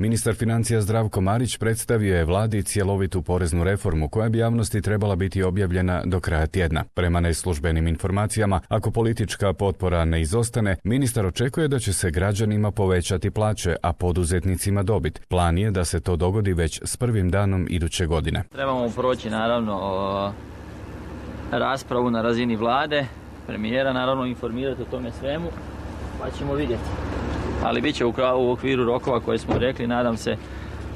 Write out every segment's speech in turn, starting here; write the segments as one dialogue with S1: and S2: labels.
S1: Ministar financija Zdravko Marić predstavio je vladi cjelovitu poreznu reformu koja bi javnosti trebala biti objavljena do kraja tjedna. Prema neslužbenim informacijama, ako politička potpora ne izostane, ministar očekuje da će se građanima povećati plaće, a poduzetnicima dobit. Plan je da se to dogodi već s prvim danom iduće godine.
S2: Trebamo proći naravno raspravu na razini vlade, premijera naravno informirati o tome svemu, pa ćemo vidjeti. Ali bit će u okviru rokova koje smo rekli, nadam se,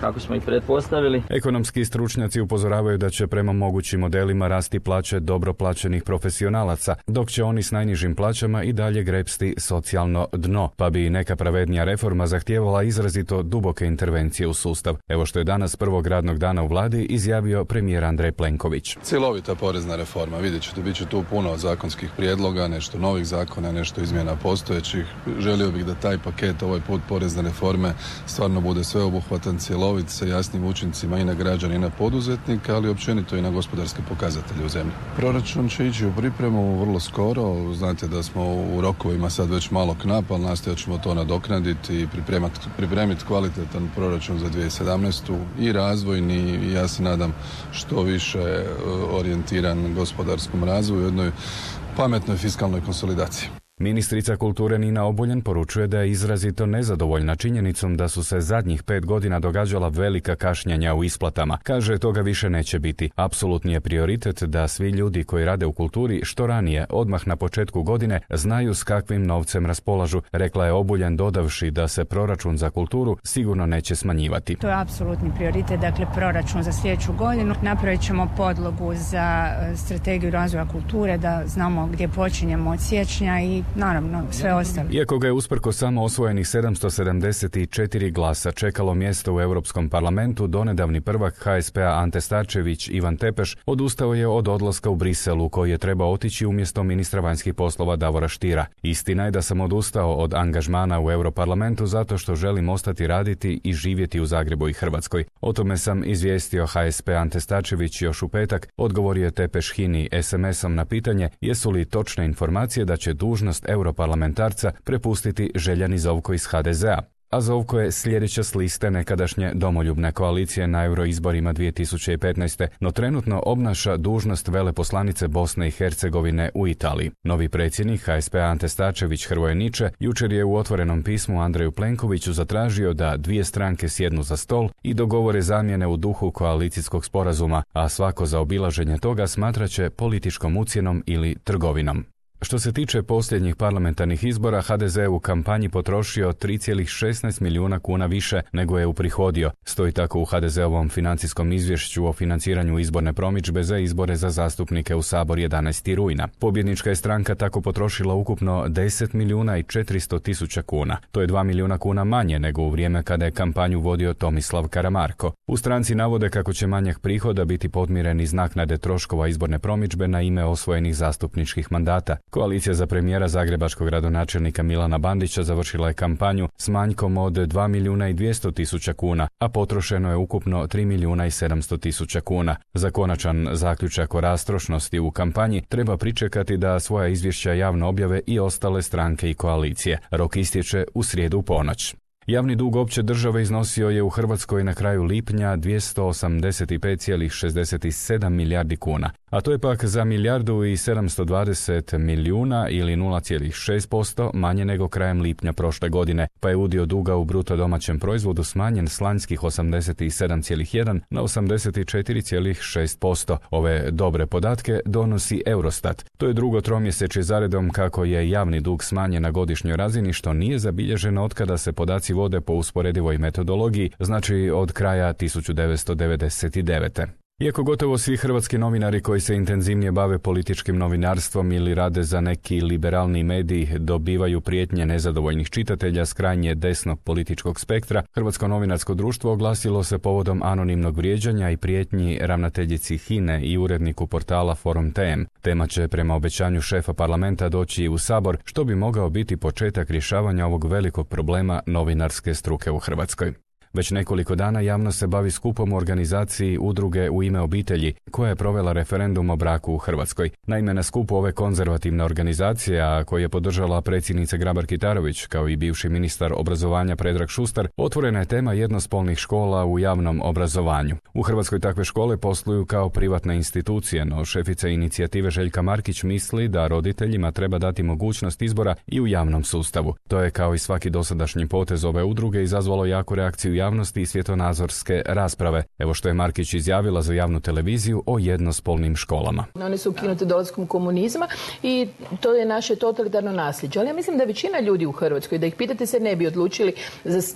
S2: kako smo ih pretpostavili.
S1: Ekonomski stručnjaci upozoravaju da će prema mogućim modelima rasti plaće dobro plaćenih profesionalaca, dok će oni s najnižim plaćama i dalje grepsti socijalno dno, pa bi neka pravednija reforma zahtijevala izrazito duboke intervencije u sustav. Evo što je danas prvog radnog dana u vladi izjavio premijer Andrej Plenković.
S3: Cjelovita porezna reforma, vidjet ćete, bit će tu puno zakonskih prijedloga, nešto novih zakona, nešto izmjena postojećih. Želio bih da taj paket, ovaj put porezne reforme, stvarno bude sveobuhvatan, cjelovit, sa jasnim učincima i na građane i na poduzetnike, ali općenito i na gospodarske pokazatelje u zemlji. Proračun će ići u pripremu vrlo skoro. Znate da smo u rokovima sad već malo knap, ali nastojat ćemo to nadoknaditi i pripremiti kvalitetan proračun za 2017. i razvojni i ja se nadam što više orijentiran gospodarskom razvoju, jednoj pametnoj fiskalnoj konsolidaciji.
S1: Ministrica kulture Nina Obuljen poručuje da je izrazito nezadovoljna činjenicom da su se zadnjih 5 godina događala velika kašnjenja u isplatama. Kaže, toga više neće biti. Apsolutni je prioritet da svi ljudi koji rade u kulturi što ranije, odmah na početku godine, znaju s kakvim novcem raspolažu, rekla je Obuljen dodavši da se proračun za kulturu sigurno neće smanjivati.
S4: To je apsolutni prioritet, dakle proračun za sljedeću godinu. Napravit ćemo podlogu za strategiju razvoja kulture, da znamo gdje počinjemo od siječnja i naravno sve ostalo.
S1: Iako ga je usprko samo osvojenih 774 glasa čekalo mjesto u Europskom parlamentu, donedavni prvak HSP-a Ante Starčević Ivan Tepeš odustao je od odlaska u Briselu koji je trebao otići umjesto ministra vanjskih poslova Davora Stiera. Istina je da sam odustao od angažmana u Europarlamentu zato što želim ostati raditi i živjeti u Zagrebu i Hrvatskoj. O tome sam izvijestio HSP Ante Starčević još u petak, odgovorio je Tepeš HINA-i SMS-om na pitanje jesu li točne informacije da će dužnost europarlamentarca prepustiti Željani Zovko iz HDZ-a. A Zovko je sljedeća s liste nekadašnje domoljubne koalicije na euroizborima 2015. no trenutno obnaša dužnost veleposlanice Bosne i Hercegovine u Italiji. Novi predsjednik HSP Ante Starčević Hrvoje Niče jučer je u otvorenom pismu Andreju Plenkoviću zatražio da dvije stranke sjednu za stol i dogovore zamjene u duhu koalicijskog sporazuma, a svako zaobilaženje toga smatraće političkom ucjenom ili trgovinom. Što se tiče posljednjih parlamentarnih izbora, HDZ je u kampanji potrošio 3,16 milijuna kuna više nego je uprihodio. Stoji tako u HDZ-ovom financijskom izvješću o financiranju izborne promidžbe za izbore za zastupnike u Sabor 11. rujna. Pobjednička je stranka tako potrošila ukupno 10 milijuna i 400 tisuća kuna. To je 2 milijuna kuna manje nego u vrijeme kada je kampanju vodio Tomislav Karamarko. U stranci navode kako će manjak prihoda biti podmiren iz naknade troškova izborne promidžbe na ime osvojenih zastupničkih mandata. Koalicija za premijera zagrebačkog gradonačelnika Milana Bandića završila je kampanju s manjkom od 2 milijuna i 200 tisuća kuna, a potrošeno je ukupno 3 milijuna i 700 tisuća kuna. Za konačan zaključak o rastrošnosti u kampanji treba pričekati da svoja izvješća javno objave i ostale stranke i koalicije. Rok istječe u srijedu u ponoć. Javni dug opće države iznosio je u Hrvatskoj na kraju lipnja 285,67 milijardi kuna, a to je pak za milijardu i 720 milijuna ili 0,6% manje nego krajem lipnja prošle godine, pa je udio duga u bruto domaćem proizvodu smanjen s lanjskih 87,1 na 84,6%. Ove dobre podatke donosi Eurostat. To je drugo tromjesečje zaredom kako je javni dug smanjen na godišnjoj razini, što nije zabilježeno od kada se podaci vode po usporedivoj metodologiji, znači od kraja 1999. Iako gotovo svi hrvatski novinari koji se intenzivnije bave političkim novinarstvom ili rade za neki liberalni medij dobivaju prijetnje nezadovoljnih čitatelja s krajnje desnog političkog spektra, Hrvatsko novinarsko društvo oglasilo se povodom anonimnog vrijeđanja i prijetnji ravnateljici HINA-e i uredniku portala Forum TM. Tema će prema obećanju šefa parlamenta doći i u Sabor, što bi mogao biti početak rješavanja ovog velikog problema novinarske struke u Hrvatskoj. Već nekoliko dana javnost se bavi skupom u organizaciji Udruge U ime obitelji, koja je provela referendum o braku u Hrvatskoj. Naime, na skupu ove konzervativne organizacije, a koju je podržala predsjednica Grabar-Kitarović, kao i bivši ministar obrazovanja Predrag Šustar, otvorena je tema jednospolnih škola u javnom obrazovanju. U Hrvatskoj takve škole posluju kao privatne institucije, no šefica inicijative Željka Markić misli da roditeljima treba dati mogućnost izbora i u javnom sustavu. To je, kao i svaki dosadašnji potez ove udruge, izazvalo jaku reakciju javnosti i svjetonazorske rasprave. Evo što je Markić izjavila za javnu televiziju o jednospolnim školama.
S5: One su ukinute dolaskom komunizma i to je naše totalitarno nasljeđe. Ali ja mislim da većina ljudi u Hrvatskoj, da ih pitate, se ne bi odlučili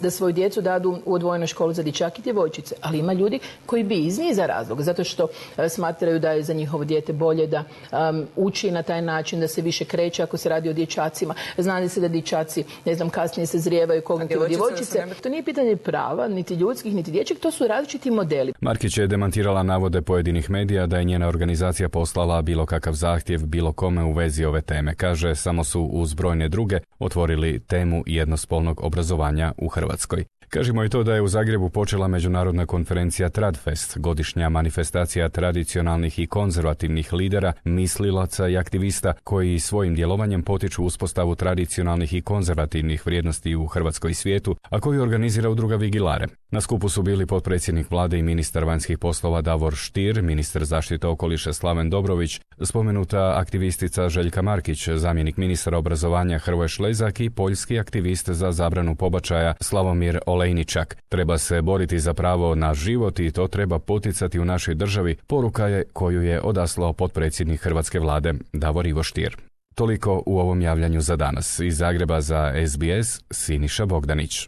S5: da svoju djecu dadu u odvojenu školu za dječake i djevojčice. Ali ima ljudi koji bi iz niza razloga, zato što smatraju da je za njihovo dijete bolje da uči na taj način, da se više kreće ako se radi o dječacima. Zna se da dječaci, kasnije se zrijevaju kognitivno, djevojčice. To nije pitanje prava, niti ljudskih, niti dječjeg, to su različiti modeli.
S1: Markić je demantirala navode pojedinih medija da je njena organizacija poslala bilo kakav zahtjev bilo kome u vezi ove teme. Kaže, samo su uz brojne druge otvorili temu jednospolnog obrazovanja u Hrvatskoj. Kažemo i to da je u Zagrebu počela međunarodna konferencija Tradfest, godišnja manifestacija tradicionalnih i konzervativnih lidera, mislilaca i aktivista koji svojim djelovanjem potiču uspostavu tradicionalnih i konzervativnih vrijednosti u Hrvatskoj i svijetu, a koju organizira udruga Vigilare. Na skupu su bili potpredsjednik vlade i ministar vanjskih poslova Davor Stier, ministar zaštite okoliša Slaven Dobrović, spomenuta aktivistica Željka Markić, zamjenik ministra obrazovanja Hrvoje Šlezak i poljski aktivist za zabranu pobačaja Slavomir Olejničak. Treba se boriti za pravo na život i to treba poticati u našoj državi, poruka je koju je odaslao potpredsjednik hrvatske vlade Davor Ivo Stier. Toliko u ovom javljanju za danas. Iz Zagreba za SBS, Siniša Bogdanić.